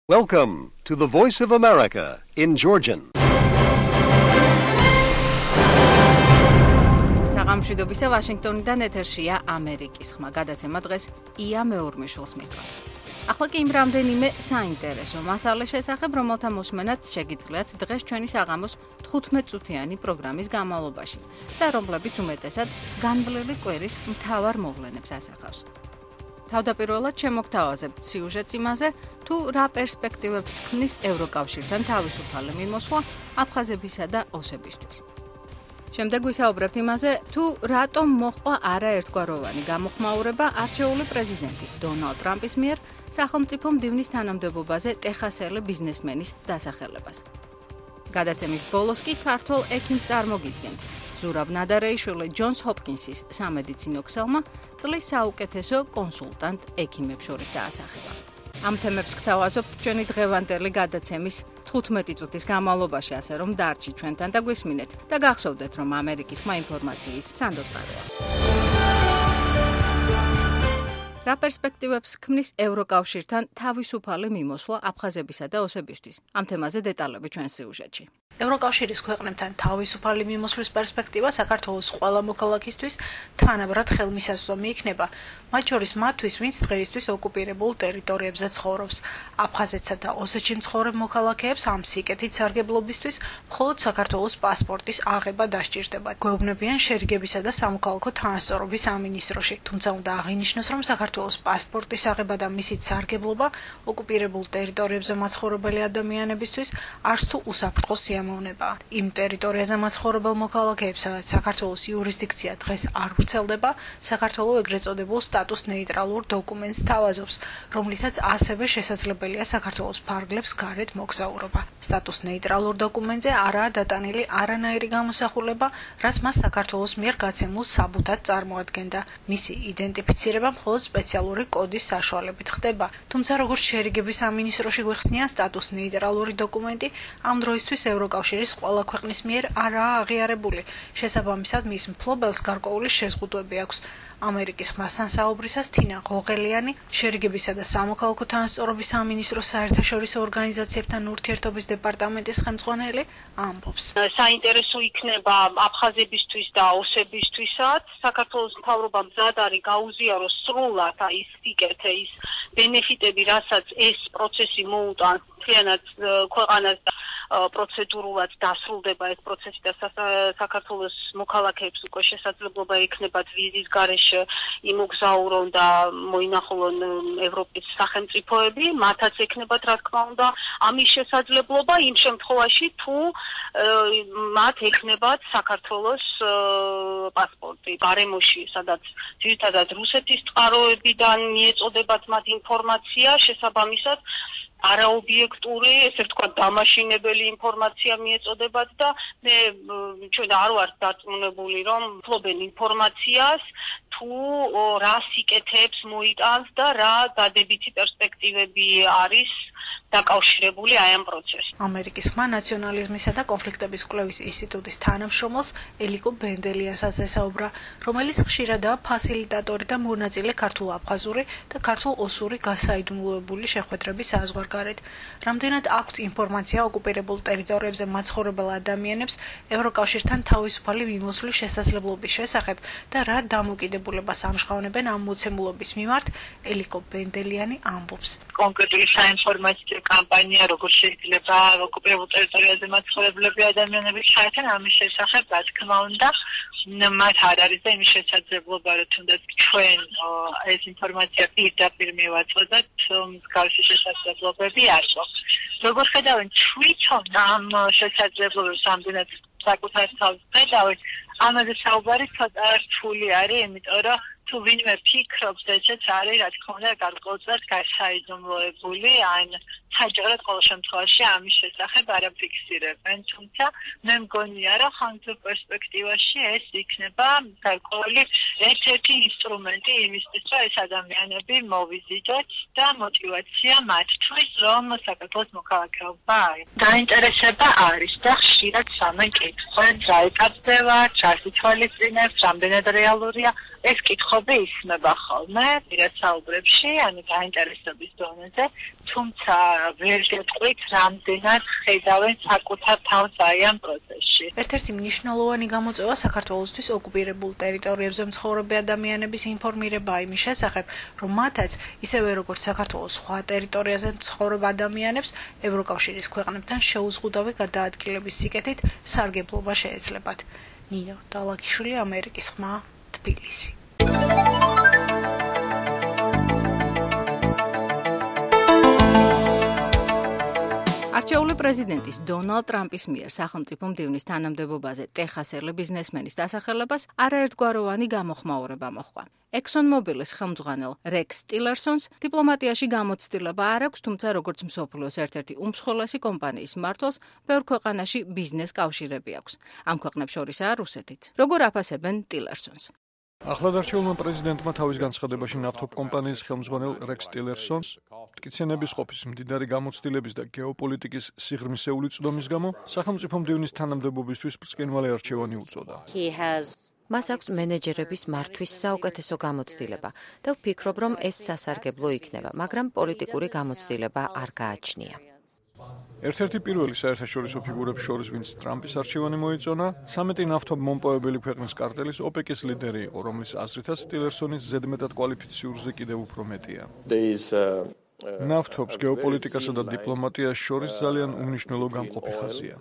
Welcome to the Voice of America in Georgian. საღამოშვიდობისა ვაშინგტონიდან ეთერშია ამერიკის ხმა. გადაცემა დღეს ია მეორმიშვილს მიყვარს. ახლა კი იმ რამდენიმე საინტერესო მასალას შესახებ, რომელთა მოსმენაც შეგიძლიათ დღეს ჩვენი საღამოს 15 წუთიანი პროგრამის განმავლობაში და რომლებიც უმეტესად განვლილი კვერის მთავარ მოვლენებს ასახავს. თავდაპირველად შემოგთავაზებთ სიუჟეტს იმაზე, თუ რა პერსპექტივებს ქმნის ევროკავშირთან თავისუფალი მიმოსვლა აფხაზებისა და ოსებისთვის. შემდეგ ვისაუბრებთ იმაზე, თუ რატომ მოჰყვა არაერთგვაროვანი გამოხმაურება არჩეული პრეზიდენტის დონალდ ტრამპის მიერ სახელმწიფო მდივნის თანამდებობაზე ტეხასელი ბიზნესმენის დასახელებას. გადაცემის ბოლოს კი ქართველ ექიმს წარმოგიდგენთ. ზურაბ ნადარეიშვილი ჯონს ჰოპკინსის სამედიცინო ქსელმა წლის საუკეთესო კონსულტანტ ექიმებს შორის დაასახელა. ამ თემებს გთავაზობთ ჩვენი დღევანდელი გადაცემის 15 წუთის განმავლობაში, ასე რომ დარჩით ჩვენთან და გვისმინეთ და გახსოვდეთ, რომ ამერიკის ხმა ინფორმაციის სანდოწყაროა. რა პერსპექტივებს ქმნის ევროკავშირთან თავისუფალი მიმოსვლა აფხაზებისა და ოსებისთვის? ამ თემაზე დეტალები ჩვენ სიუჟეტში. ევროკავშირის ქვეყნებთან თავისუფალი მიმოსვლის პერსპექტივა საქართველოს ყველა მოქალაქისთვის თანაბრად ხელმისაწვდომი იქნება, მათ შორის მათთვის, ვინც დღეისთვის ოკუპირებულ ტერიტორიებზე ცხოვრობს. აფხაზეთსა და ოსეთში მცხოვრებ მოქალაქეებს ამ სიკეთით სარგებლობისთვის მხოლოდ საქართველოს პასპორტის აღება დასჭირდება. გვეუბნებიან შერიგებისა და სამოქალაქო თანასწორობის სამინისტროში. თუმცა უნდა აღინიშნოს, რომ საქართველოს პასპორტის აღება და მისით სარგებლობა ოკუპირებულ ტერიტორიებზე მაცხოვრებელი ადამიანებისთვის არც თუ უსაფრთხო სიამოვნებაა. იმ ტერიტორიაზე მაცხოვრებელ მოქალაქეებს, სადაც საქართველოს იურისდიქცია დღეს არ ვრცელდება, საქართველო ეგრეთ წოდებულ სტატუს ნეიტრალურ დოკუმენტს თავაზობს, რომლითაც ასევე შესაძლებელია საქართველოს ფარგლებს გარეთ მოგზაურობა. სტატუს ნეიტრალურ დოკუმენტზე არაა დატანილი არანაირი გამოსახულება, რაც მას საქართველოს მიერ გაცემულ საბუთად წარმოადგენდა. მისი იდენტიფიცირება მხოლოდ სპეციალური კოდის საშუალებით ხდება. თუმცა როგორც შერიგების სამინისტროში გვეხსნია, სტატუს ნეიტრალური დოკუმენტი ამ დროისთვის ევროკავშირის ყველა ქვეყნის მიერ არაა აღიარებული. შესაბამისად, მის მფლობელს გარკვეული შეზღუდვები აქვს. ამერიკის ხმასთან საუბრისას თინა ღოღელიანი, შერიგებისა და სამოქალაქო თანასწორობის სამინისტროს საერთაშორისო ორგანიზაციებთან ურთიერთობის დეპარტამენტის ხელმძღვანელი ამბობს. საინტერესო იქნება აფხაზებისთვის და ოსებისთვისაც. საქართველოს მთავრობა მზად არის გაუზიაროს სრულად ის სიკეთე, ის ბენეფიტები, რასაც ეს პროცესი მოუტანს მთლიანად ქვეყანას და პროცედურულად დასრულდება ეს პროცესი და საქართველოს მოქალაქეებს უკვე შესაძლებლობა ექნებათ ვიზის გარეშე იმოგზაურონ და მოინახულონ ევროპის სახელმწიფოები, მათაც ექნებათ რა თქმა უნდა ამის შესაძლებლობა იმ შემთხვევაში, თუ მათ ექნებათ საქართველოს პასპორტი გარემოში, სადაც ძირითადად რუსეთის წყაროებიდან მიეწოდებათ მათ ინფორმაცია, შესაბამისად არაობიექტური, ესე ვთქვათ, დამაშინებელი ინფორმაცია მიეწოდებათ და მე ჩვენ არ ვარ დარწმუნებული, რომ ფლობენ ინფორმაციას, თუ რა სიკეთეებს მოიტანს და რა დადებითი პერსპექტივები არის დაკავშირებული აი ამ პროცესთან. ამერიკის ხმა ნაციონალიზმისა და კონფლიქტების კვლევის ინსტიტუტის თანამშრომელს ელიკო ბენდელიასაც ესაუბრა, რომელიც ხშირადაა ფასილიტატორი და მონაწილე ქართულ-აფხაზური და ქართულ-ოსური გასაიდუმლოებული შეხვედრების საზღვარგარეთ. რამდენად აქვთ ინფორმაცია ოკუპირებულ ტერიტორიებზე მაცხოვრებელ ადამიანებს ევროკავშირთან თავისუფალი მიმოსვლის შესაძლებლობის შესახებ და რა დამოკიდებულებას ამჟღავნებენ ამ მოცემულობის მიმართ, ელიკო ბენდელიანი ამბობს. კონკრეტული საინფორმაციო კამპანია, როგორ შეიძლება ოკუპირებულ ტერიტორიაზე მაცხოვრებლები ადამიანები ჩაერთონ ამის შესახებ, რა თქმა უნდა, მათ არ არის და იმის შესაძლებლობა, რომ თუნდაც ჩვენ ეს ინფორმაცია პირდაპირ მივაწოდოთ, მსგავსი შესაძლებლობები არ გვაქვს. როგორ ხედავენ თვითონ ამ შესაძლებლობებს ამდენად საკუთარ თავს ხედავენ, ამაზე საუბარი ცოტა რთული არის, იმიტომ რომ თუ ვინმე ფიქრობს, ესეც არის, რა თქმა უნდა, გარკვეულწილად გასაიდუმლოებული, ან საჯაროდ ყოველ შემთხვევაში ამის შესახებ არ აფიქსირებენ, თუმცა მე მგონია, რომ ხანგრძლივ პერსპექტივაში ეს იქნება გარკვეული ერთ-ერთი ინსტრუმენტი იმისთვის, რომ ეს ადამიანები მოვიზიდოთ და мотивация მათთვის, რომ საქართველოს მოქალაქეობა არის. დაინტერესება არის და ხშირად სამეკითხვა დაიკარგდება, ჩასითვალისწინებს, რამდენად რეალურია. ეს კითხვები ისმება ხოლმე პირად საუბრებში, ანუ დაინტერესების დონეზე, თუ თუმცა ვერ გეტყვით რამდენად ხედავენ საკუთარ თავს აი ამ პროცესში. ერთ-ერთი მნიშვნელოვანი გამოწვევა საქართველოსთვის ოკუპირებულ ტერიტორიებზე მცხოვრები ადამიანების ინფორმირება იმის შესახებ, რომ მათაც ისევე როგორც საქართველოს სხვა ტერიტორიაზე მცხოვრებ ადამიანებს ევროკავშირის ქვეყნებთან შეუზღუდავი გადაადგილების სიკეთით სარგებლობა შეეძლებათ. ნინო დალაქიშვილი, ამერიკის ხმა, თბილისი. არჩეული პრეზიდენტის დონალდ ტრამპის მიერ სახელმწიფო მდივნის თანამდებობაზე ტეხასელი ბიზნესმენის დასახელებას არაერთგვაროვანი გამოხმაურება მოჰყვა. ExxonMobil-ის ხელმძღვანელ რექს ტილერსონს დიპლომატიაში გამოცდილება არ აქვს, თუმცა როგორც მსოფლიოს ერთ-ერთი უმსხვილესი კომპანიის მმართველს, ბევრ ქვეყანაში ბიზნეს კავშირები აქვს. ამ ქვეყნებს შორისაა რუსეთიც. როგორ აფასებენ ტილერსონს? ახლადარჩეულმა პრეზიდენტმა თავის განცხადებაში ნავთობ კომპანიის ხელმძღვანელ რექს ტილერსონს მტკიცენების ყოფის მდიდარი გამოცდილების და გეოპოლიტიკის სიღრმისეული წვდომის გამო სახელმწიფო მდივნის თანამდებობისთვის ბრწყინვალე არჩევანი უწოდა. მას აქვს მენეჯერების მართვის საუკეთესო გამოცდილება და ვფიქრობ, რომ ეს სასარგებლო იქნება, მაგრამ პოლიტიკური გამოცდილება არ გააჩნია. ერთ-ერთი პირველი საერთაშორისო ფიგურების შორის, ვინც ტრამპის არჩევანი მოიწონა, 13 ნავთობ მომპოვებელი ქვეყნის კარტელის ოპეკის ლიდერი იყო, რომლის აზრითაც ტილერსონის ზედმეტად კვალიფიციურზე კიდევ უფრო მეტია. ნავთობს გეოპოლიტიკასა და დიპლომატიას შორის ძალიან უმნიშვნელო გამყოფი ხაზია.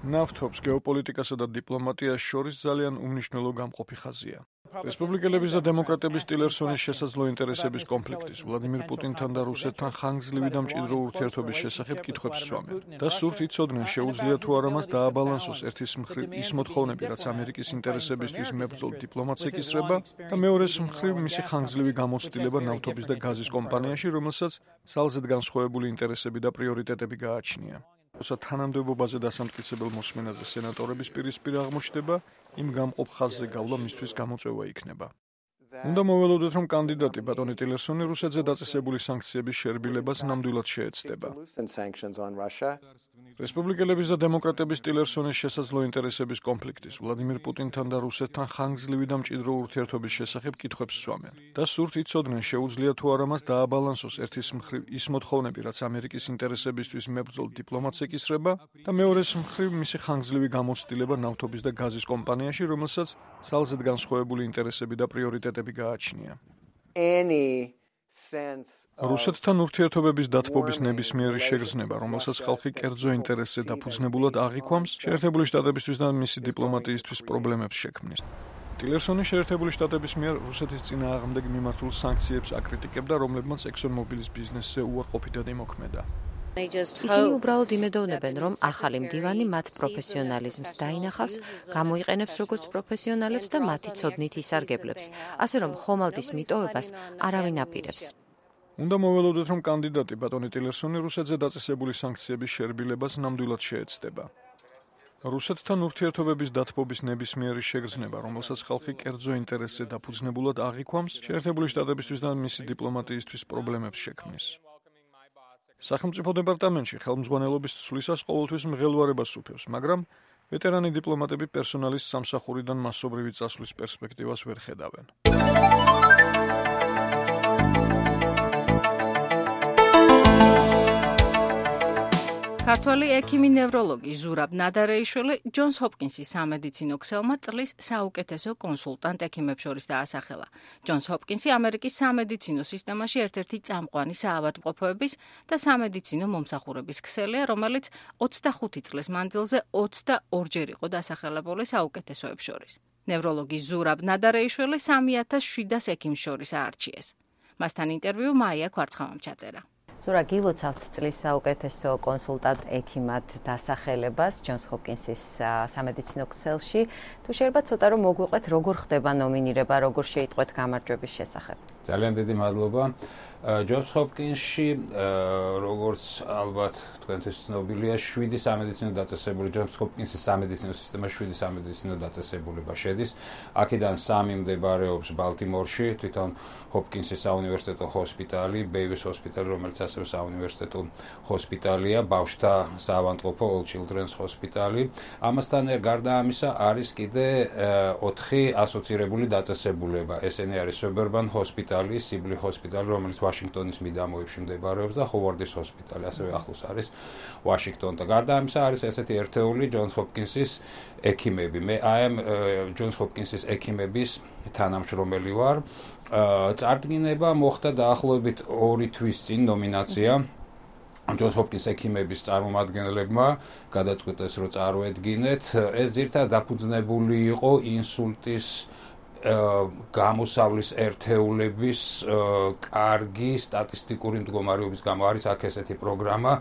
ნავთობს გეოპოლიტიკასა და დიპლომატიას შორის ძალიან უმნიშვნელო გამყოფი ხაზია. რესპუბლიკელების და დემოკრატების ტილერსონის შესაძლო ინტერესების კონფლიქტის, ვლადიმირ პუტინთან და რუსეთთან ხანგრძლივი და მჭიდრო ურთიერთობის შესახებ კითხვებს სვამენ და სურთ იცოდნენ შეუძლია თუ არა მას დააბალანსოს ერთის მხრივ ის მოთხოვნები, რაც ამერიკის ინტერესებისთვის მებრძოლ დიპლომატს ეკისრება და მეორეს მხრივ მისი ხანგრძლივი გამოცდილება ნავთობის და გაზის კომპანიაში, რომელსაც ძალზედ განსხვავებული ინტერესები და პრიორიტეტები გააჩნია. როცა თანამდებობაზე დასამტკიცებელ მოსმენაზე სენატორების პირისპირ აღმოჩნდება, იმ გამყოფ ხაზზე გავლა მისთვის გამოწვევა იქნება. უნდა მოველოდოთ, რომ კანდიდატი ბატონი ტილერსონი რუსეთზე დაწესებული სანქციების შერბილებას ნამდვილად შეეცდება. რესპუბლიკელების და დემოკრატების ტილერსონის შესაძლო ინტერესების კონფლიქტის, ვლადიმირ პუტინთან და რუსეთთან ხანგრძლივი და მჭიდრო ურთიერთობის შესახებ კითხვებს სვამენ და სურთ იცოდნენ შეუძლია თუ არა მას დააბალანსოს ერთის მხრივ ის მოთხოვნები, რაც ამერიკის ინტერესებისთვის მებრძოლ დიპლომატს ეკისრება და მეორეს მხრივ მისი ხანგრძლივი გამოცდილება ნავთობის და გაზის კომპანიაში, რომელსაც ძალზედ განსხვავებული ინტერესები და პრიორიტეტები გააჩნია. რუსეთთან ურთიერთობების დათბობის ნებისმიერი შეგრძნება, რომელსაც ხალხი კერძო ინტერესზე დაფუძნებულად აღიქვამს, შეერთებული შტატებისთვის და მისი დიპლომატიისთვის პრობლემებს შექმნის. ტილერსონი შეერთებული შტატების მიერ რუსეთის წინააღმდეგ მიმართულ სანქციებს აკრიტიკებდა, რომლებმაც ExxonMobil-ის ბიზნესზე უარყოფითად იმოქმედა. ისინი უბრალოდ იმედოვნებენ, რომ ახალი მდივანი მათ პროფესიონალიზმს დაინახავს, გამოიყენებს როგორც პროფესიონალებს და მათი ცოდნით ისარგებლებს, ასე რომ ხომალდის მიტოვებას არავინ აპირებს. უნდა მოველოდოთ, რომ კანდიდატი ბატონი ტილერსონი რუსეთზე დაწესებული სანქციების შერბილებას ნამდვილად შეეცდება. რუსეთთან ურთიერთობების დათბობის ნებისმიერი შეგრძნება, რომელსაც ხალხი კერძო ინტერესზე დაფუძნებულად აღიქვამს, შეერთებული შტატებისთვის და მისი დიპლომატიისთვის პრობლემებს შექმნის. სახელმწიფო დეპარტამენტში ხელმძღვანელობის ცვლისას ყოველთვის მღელვარებას უფევს, მაგრამ ვეტერანი დიპლომატები პერსონალის სამსახურიდან მასობრივი წასვლის პერსპექტივას ვერ ხედავენ. ქართველი ექიმი ნევროლოგი ზურაბ ნადარეიშვილი ჯონს ჰოპკინსის სამედიცინო ქსელმა წლის საუკეთესო კონსულტანტ ექიმებს შორის დაასახელა. ჯონს ჰოპკინსი ამერიკის სამედიცინო სისტემაში ერთ-ერთი წამყვანი საავადმყოფოების და სამედიცინო მომსახურების ქსელია, რომელიც 25 წლის მანძილზე 22-ჯერ იყო დასახელებული საუკეთესოებს შორის. ნევროლოგი ზურაბ ნადარეიშვილი 3700 ექიმს შორის აარჩიეს. მასთან ინტერვიუ მაია კვარცხავამ ჩაწერა. ზურა, გილოცავთ წლის საუკეთესო კონსულტანტ ექიმად დასახელებას ჯონს ჰოპკინსის სამედიცინო ქსელში. თუ შეიძლება ცოტა რომ მოგვიყვეთ, როგორ ხდება ნომინირება, როგორ შეიტყვეთ გამარჯვების შესახებ. ძალიან დიდი მადლობა. ჯონს ჰოპკინსში, როგორც ალბათ თქვენთვის ცნობილია, 7 სამედიცინო დაწესებული, ჯონს ჰოპკინსის სამედიცინო სისტემაში 7 სამედიცინო დაწესებულება შედის. აქედან 3 მდებარეობს ბალტიმორში, თვითონ ჰოპკინსის საუნივერსიტეტო ჰოსპიტალი, ბეივის ჰოსპიტალი, რომელიც ასევე საუნივერსიტეტო ჰოსპიტალია, ბავშვთა საავადმყოფო All Children's ჰოსპიტალი. ამასთან გარდა ამისა არის კიდე 4 ასოცირებული დაწესებულება. ესენი არის Suburban ჰოსპიტალი, ჰოსპიტალი, სიბლი ჰოსპიტალი, რომელიც ვაშინგტონის მიდამოებში მდებარეობს და ჰოვარდის ჰოსპიტალი, ასევე ახლოს არის ვაშინგტონთან. გარდა ამისა არის ესეთი ერთეული ჯონს ჰოპკინსის ექიმები. მე აი ჯონს ჰოპკინსის ექიმების თანამშრომელი ვარ. წარდგინება მოხდა დაახლოებით 2 თვის წინ ნომინაცია ჯონს ჰოპკინს ექიმების წარმომადგენლებმა გადაწყვიტეს რომ წარუედგინეთ. ეს ძირითადად დაფუძნებული იყო ინსულტის გამოსავლის ერთეულების კარგი სტატისტიკური მდგომარეობის გამო არის აქ ესეთი პროგრამა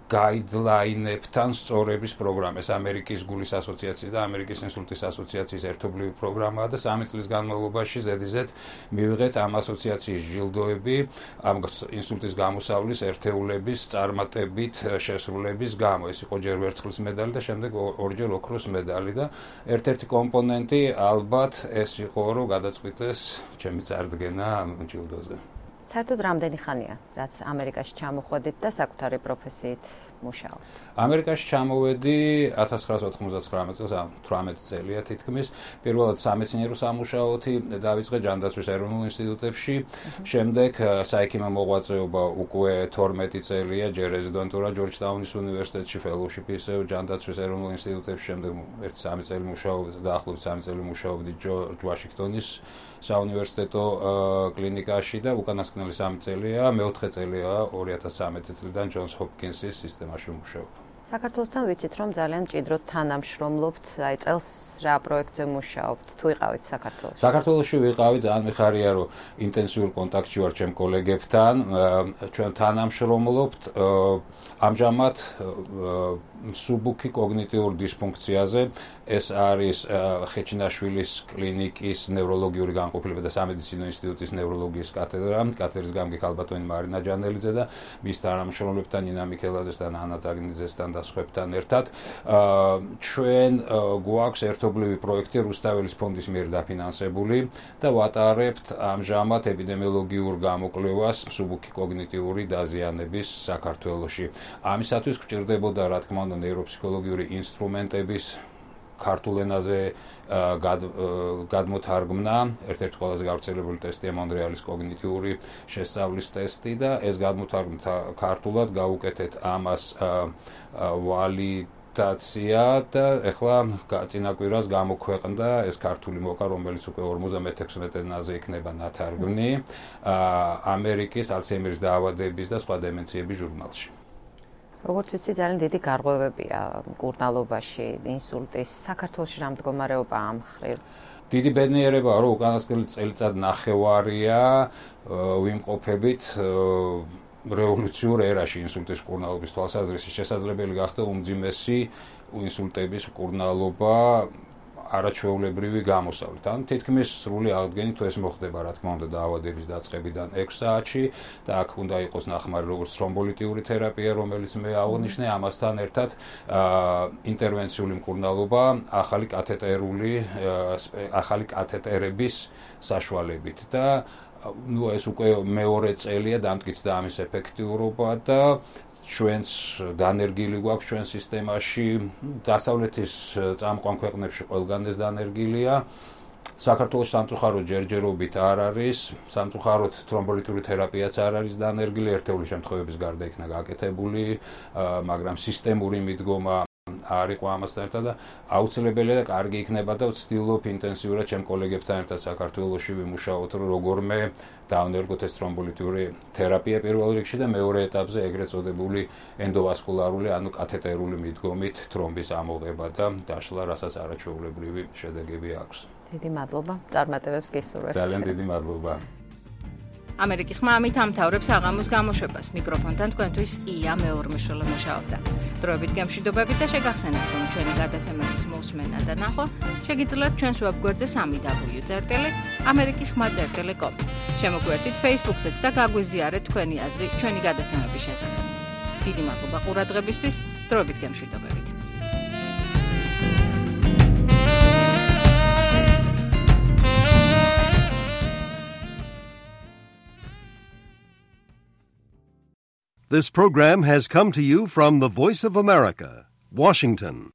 guideline-ებთან სწორების პროგრამა. ეს ამერიკის გულის ასოციაციის და ამერიკის ინსულტის ასოციაციის ერთობლივი პროგრამაა და 3 წლის განმავლობაში ზედიზედ მივიღეთ ამ ასოციაციის ჯილდოები ამ ინსულტის გამოსავლის ერთეულების წარმატებით შესრულების გამო. ეს იყო ჯერ ვერცხლის медаლი და შემდეგ ორჯერ ოქროს медаლი და ერთ-ერთი კომპონენტი ალბათ ეს იყო რომ გადაწყვიტეს ჩემი წარდგენა ამ ჯილდოზე. საერთოდ რამდენი ხანია, რაც ამერიკაში ჩამოხვედით და საკუთარი პროფესიით მუშაობთ? ამერიკაში ჩამოვედი 1999 წელს, 18 წელია თითქმის. პირველად სამეცნიერო სამუშაოთი დავიწყე ჯანდაცვის ეროვნულ ინსტიტუტებში, შემდეგ საექიმო მოღვაწეობა უკვე 12 წელია, ჯერ რეზიდენტურა ჯორჯტაუნის უნივერსიტეტში, ფელოუშიპი ისევ ჯანდაცვის ეროვნულ ინსტიტუტებში, შემდეგ 1-3 წელი მუშაობდი, დაახლოებით 3 წელი მუშაობდი ჯორჯ ვაშინგტონის საუნივერსიტეტო კლინიკაში და უკანასკნელი 3 წელია, მეოთხე წელია 2013 წლიდან ჯონს ჰოპკინსის სისტემაში მუშაობ. საქართველოსთან ვიცით, რომ ძალიან მჭიდროდ თანამშრომლობთ, აი წელს რა პროექტზე მუშაობთ, თუ იყავით საქართველოში? საქართველოში ვიყავი, ძალიან მიხარია, რომ ინტენსიურ კონტაქტში ვარ ჩემ კოლეგებთან, ჩვენ თანამშრომლობთ, ამჟამად სუბუქი კოგნიტიურ დისფუნქციაზე, ეს არის ხეჩინაშვილის კლინიკის ნევროლოგიური განყოფილება და სამედიცინო ინსტიტუტის ნევროლოგიის კათედრა, კათედრის გამგე ქალბატონი მარინა ჯანელიძე და მის თანამშრომლებთან ნინა მიქელაძესთან, ანა წაგნიძესთან და სხვებთან ერთად ჩვენ გვაქვს ერთობლივი პროექტი რუსთაველის ფონდის მიერ დაფინანსებული და ვატარებთ ამჟამად ეპიდემიოლოგიურ გამოკვლევას სუბუქი კოგნიტიური დაზიანების საქართველოში. ამისათვის გვჭირდებოდა რა თქმა უნდა ნეიროფსიქოლოგიური ინსტრუმენტების ქართულ ენაზე გადმოთარგმნა. ერთ-ერთი ყველაზე გავრცელებული ტესტია მონრეალის კოგნიტიური შესწავლის ტესტი და ეს გადმოთარგმნა ქართულად გავუკეთეთ ამას ვალიდაცია და ეხლა წინა კვირას გამოქვეყნდა ეს ქართული მოკა, რომელიც უკვე 56 ენაზე იქნება ნათარგმნი ამერიკის ალცჰეიმერის დაავადების და სხვა დემენციების ჟურნალში. როგორც ვიცი, ძალიან დიდი გარღვევებია მკურნალობაში, ინსულტის, საქართველოში რა მდგომარეობაა ამ მხრივ? დიდი ბედნიერებაა, რომ უკანასკნელი წელიწად ნახევარია ვიმყოფებით რევოლუციურ ერაში ინსულტის მკურნალობის თვალსაზრისით. შესაძლებელი გახდა უმძიმესი ინსულტების მკურნალობა არაჩვეულებრივი გამოსავლით. ან თითქმის სრული აღდგენით თუ ეს მოხდება, რა თქმა უნდა, დაავადების დაწყებიდან 6 საათში და აქ უნდა იყოს ნახმარი როგორც თრომბოლიტიური თერაპია, რომელიც მე აღნიშნე, ამასთან ერთად ინტერვენციული მკურნალობა ახალი კათეტერების საშუალებით და ეს უკვე მეორე წელია დამტკიცდა ამის ეფექტიურობა და ჩვენს დანერგილი გვაქვს ჩვენ სისტემაში, დასავლეთის წამყვან ქვეყნებში ყველგან ეს დანერგილია. საქართველოს სამწუხაროდ ჯერჯერობით არ არის, სამწუხაროდ თრომბოლიტური თერაპიაც არ არის დანერგილი, ერთეული შემთხვევების გარდა იქნა გაკეთებული, მაგრამ სისტემური მიდგომა არ იყო ამასთან ერთად და აუცილებელია და კარგი იქნება და ვცდილობ ინტენსიურად ჩემ კოლეგებთან ერთად საქართველოში ვიმუშაოთ, რომ როგორმე დავნერგოთ ეს თრომბოლიტური თერაპია პირველ რიგში და მეორე ეტაპზე ეგრეთ წოდებული ენდოვასკულარული, ანუ კათეტერული მიდგომით თრომბის ამოღება და დაშლა, რასაც არაჩვეულებრივი შედეგები აქვს. დიდი მადლობა. წარმატებებს გისურვებთ. ძალიან დიდი მადლობა. ამერიკის ხმა ამით ამთავრებს აღამოს გამოშვებას. მიკროფონთან თქვენთვის ია მეორმეშოლა მუშაობდა. დროებით გემშვიდობებით და შეგახსენებთ, რომ ჩვენი გადაცემების მოსმენა და ნახვა შეგიძლიათ ჩვენს ვებგვერდზე www.amerikiskhma.com. შემოგვერთით Facebook-ზეც და გაგვიზიარეთ თქვენი აზრი ჩვენი გადაცემების შესახებ. დიდი მადლობა ყურადღებისთვის. დროებით გემშვიდობებით. This program has come to you from the Voice of America, Washington.